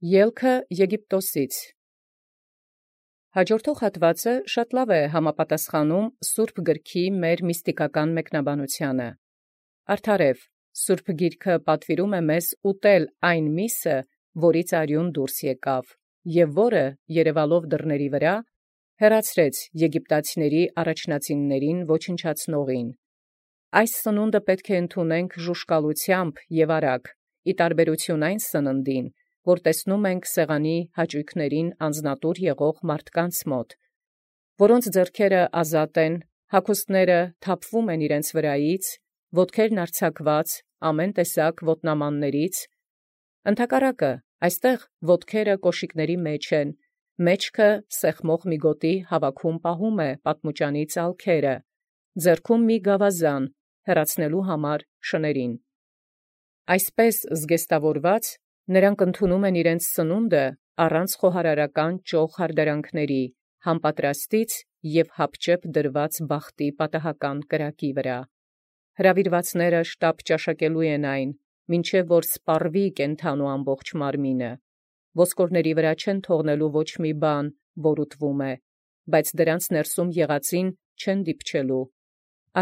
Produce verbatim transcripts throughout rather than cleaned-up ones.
Ելքը Եգիպտոսից։ Հաջորդող հատվածը շատ լավ է համապատասխանում Սուրբ Գրքի մեր միստիկական մեկնաբանությանը։ Արդարև, Սուրբ Գիրքը պատվիրում է մեզ ուտել այն միսը, որից արյուն դուրս եկավ, և որը, երևալով դռների վրա, հեռացրեց եգիպտացիների առաջնածիններին ոչնչացնողին։ Այս սնունդը պետք է ընդունենք ժուշկալությամբ և արագ, ի տարբերություն այն սննդին, որ տեսնում ենք սեղանի հաճույքներին անձնատուր եղող մարդկանց մոտ, որոնց ձեռքերը ազատ են, հագուստները թափվում են իրենց վրայից, ոտքերն արձակված ամեն տեսակ ոտնամաններից, ընդհակառակը այստեղ ոտքերը կոշիկների մեջ են, մեջքը սեղմող մի գոտի հավաքում պահում է պատմուճանի ծալքերը, ձեռքում մի գավազան հեռացնելու համար շներին։ Այսպես զգեստավորված, նրանք ընդունում են իրենց սնունդը առանց խոհարարական ճոխ հարդարանքների, համպատրաստից և հապճեպ դրված բախտի պատահական կրակի վրա։ Հրավիրվածները շտապ ճաշակելու են այն, մինչև որ սպառվի կենդանու ամբողջ մարմինը, ոսկորների վրա չեն թողնելու ոչ մի բան, որ ուտվում է, բայց դրանց ներսում եղածին չեն դիպչելու։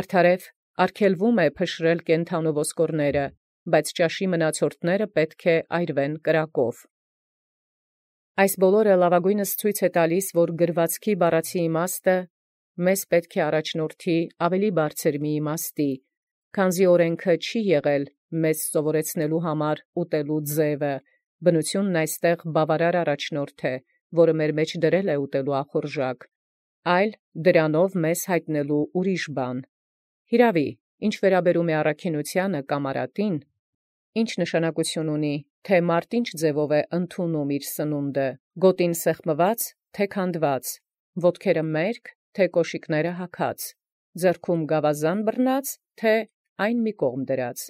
Արդարև արգելվում է փշրել կենդանու ոսկորները, բայց ճաշի մնացորդները պետք է այրվեն կրակով։ Այս բոլորը լավագույնս ցույց է տալիս, որ գրվածքի բառացի իմաստը մեզ պետք է առաջնորդի ավելի բարձր մի իմաստի, քանզի օրենքը չի եղել մեզ սովորեցնելու համար ուտելու ձևը, բնությունն այստեղ բավարար առաջնորդ է, որը մեր մեջ դրել է ուտելու ախորժակ, այլ դրանով մեզ հայտնելու ուրիշ բան։ Հիրավի, ինչ վերաբերում է առաքինությանը կամ արատին, ինչ նշանակություն ունի, թե մարդ ինչ ձևով է ընդունում իր սնունդը, գոտին սեղմված, թե քանդված, ոտքերը մերկ, թե կոշիկները հագած, ձեռքում գավազան բռնած, թե այն մի կողմ դրած։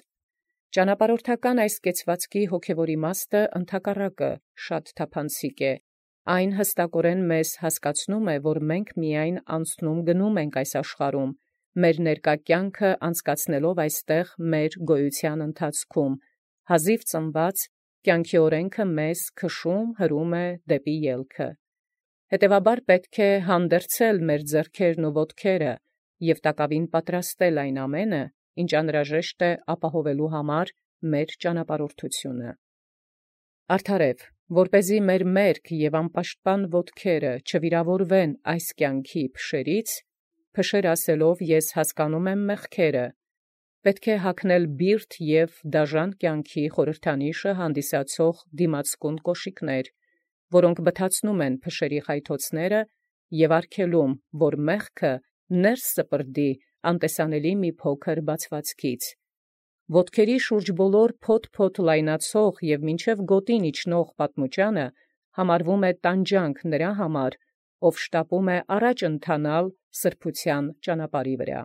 Ճանապարհորդական այս կեցվածքի հոգևոր իմաստը ընդհակառակը շատ թափանցիկ է։ Այն հստակորեն մեզ հասկացնում է, որ մենք միայն անցնում գնում ենք այս աշխարհում, մեր ներկա կյանքը անցկացնելով այստեղ մեր գոյության ընթացքում, հազիվ ծնված կյանքի օրենքը մեզ քշում հրում է դեպի ելքը։ Հետևաբար պետք է հանդերձել մեր ձեռքերն ու ոտքերը և տակավին պատրաստել այն ամենը, ինչ անհրաժեշտ է ապահովելու համար մեր ճանապարհորդությունը։ Արդարև, որպեսզի մեր մերկ և անպաշտպան ոտքերը չվիրավորվեն այս կյանքի փշերից, փշեր ասելով ես հասկանում եմ մեղքերը, պետք է հագնել բիրտ և դաժան կյանքի խորհրդանիշը հանդիսացող դիմացկուն կոշիկներ, որոնք բթացնում են փշերի խայթոցները և արգելում, որ մեղքը ներս սպրդի անտեսանելի մի փոքր բացվածքից։ Ոտքերի շուրջ բոլոր փոթ-փոթ լայնացող և մինչև գոտին իջնող պատմուճանը համարվում է տանջանք նրա համար, ով շտապում է առաջ ընթանալ սրբության ճանապարհի վրա։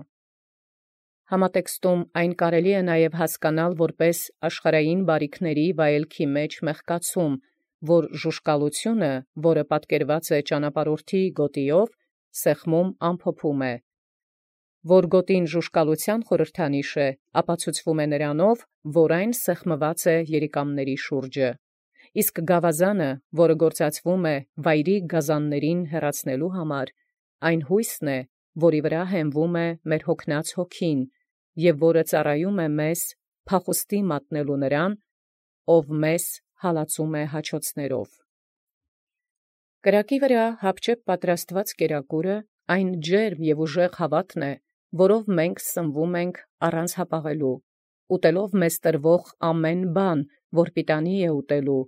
Համատեքստում այն կարելի է նաև հասկանալ որպես աշխարհային բարիքների վայելքի մեջ մեղկացում, որ ժուշկալությունը, որը պատկերված է ճանապարհորդի գոտիով, սեղմում ամփոփում է, որ գոտին ժուշկալության խորհրդանիշ է, ապացուցվում է նրանով, որ այն սեղմված է երիկամների շուրջը, իսկ գավազանը, որը գործածվում է վայրի գազաններին հեռացնելու համար, այն հույսն է, որի վրա հենվում է մեր հոգնած հոգին, և որը ծառայում է մեզ փախուստի մատնելու նրան, ով մեզ հալածում է հաչոցներով։ Կրակի վրա հապճեպ պատրաստված կերակուրը այն ջերմ և ուժեղ հավատն է, որով մենք սնվում ենք առանց հապաղելու, ուտելով մեզ տրվող ամեն բան, որ պիտանի է ուտելու,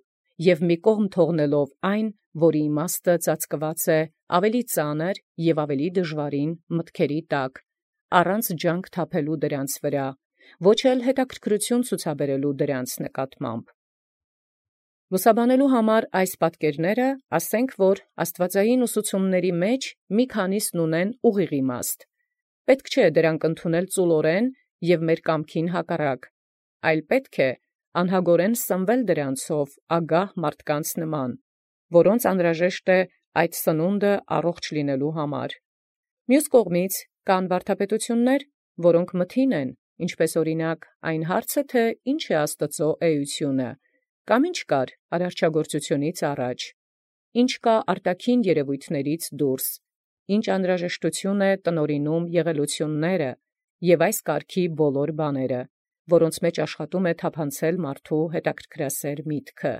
և մի կողմ թողնելով այն, որի իմաստը ծածկված է ավելի ծանր և ավելի դժվարին մտքերի տակ, առանց ջանք թափելու դրանց վրա, ոչ էլ հետաքրքրություն ցուցաբերելու դրանց նկատմամբ։ Լուսաբանելու համար այս պատկերները ասենք, որ աստվածային ուսուցումների մեջ մի քանիսն ունեն ուղիղ իմաստ։ Պետք չէ դրանք ընդունել ծուլորեն և մեր կամքին հակառակ, այլ պետք է անհագորեն սնվել դրանցով ագահ մարդկանց նման, որոնց անհրաժեշտ է այդ սնունդը առողջ լինելու համար։ Մյուս կողմից կան վարդապետություններ, որոնք մթին են, ինչպես օրինակ այն հարցը, թե ինչ է Աստծո էությունը, Կամ ինչ կար արարչագործությունից առաջ, ինչ կա արտաքին երևույթներից դուրս, ինչ անհրաժեշտություն է տնօրինում եղելությունները և այս կարգի բոլոր բաները, որոնց մեջ աշխատում է թափանցել մարդու հետաքրքրասեր միտքը։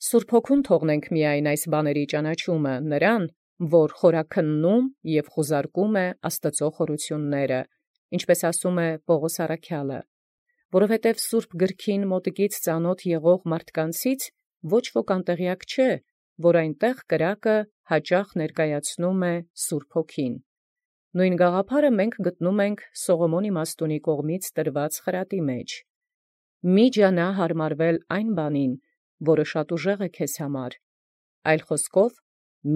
Սուրբ Հոգուն թողնենք միայն այս բաների ճանաչումը նրան, որ խորաքննում և խուզարկում է Աստծո խորությունները, ինչպես ասում է Պողոս առաքյալը, որովհետև Սուրբ գրքին մոտիկից ծանոթ եղող մարդկանցից ոչ ոք անտեղյակ չէ, որ այնտեղ կրակը հաճախ ներկայացնում է Սուրբ Հոգին։ Նույն գաղափարը մենք գտնում ենք Սողոմոն իմաստունի կողմից տրված խրատի մեջ. «Մի ջանա հարմարվել այն բանին, որը շատ ուժեղ է քեզ համար, այլ խոսքով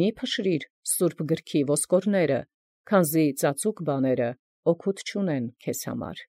մի փշրիր Սուրբ գրքի ոսկորները, քանզի ծածուկ բաները օգուտ չունեն քեզ համար»։